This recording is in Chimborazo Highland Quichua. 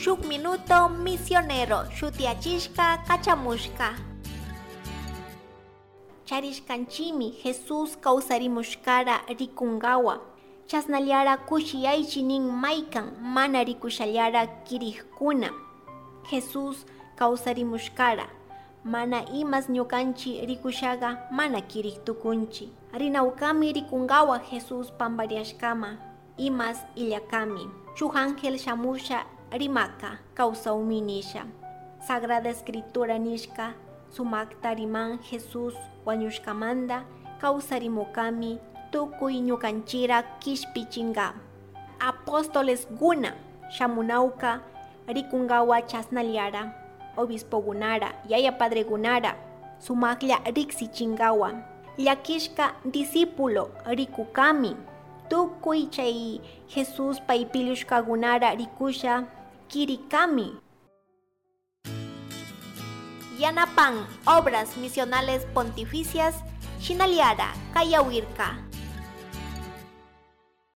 Shuk Minuto Misionero shutiachishka kachamushka. Charishkanchimi Jesús kawsarimushkara rikungawa. Chasnallara kushiyaychi nin maykan mana rikushallara kirikuna. Jesús kawsarimushkara. Mana imas ñukanchi rikushaga mana kirik tukunchi. Rinawkami rikungawa Jesús pambariashkama. Imas illakami. Shuk ángel shamusha rimaka kawsawmi nisha. Sagrada Escritura nishka sumakta riman Jesús wañushkamanta kawsarimukami tukuy ñukanchira kishpichinga. Apóstoles guna shamunawka rikungawa chasnallara. Obispo gunara, yaya padre gunara, sumaklla riksichingawa. Llakishka discípulo rikukami. Tukuy chay Jesús paypilushkagunara rikusha kirikami. Yanapan Obras Misionales Pontificias, Shinaliara, Kayawirka.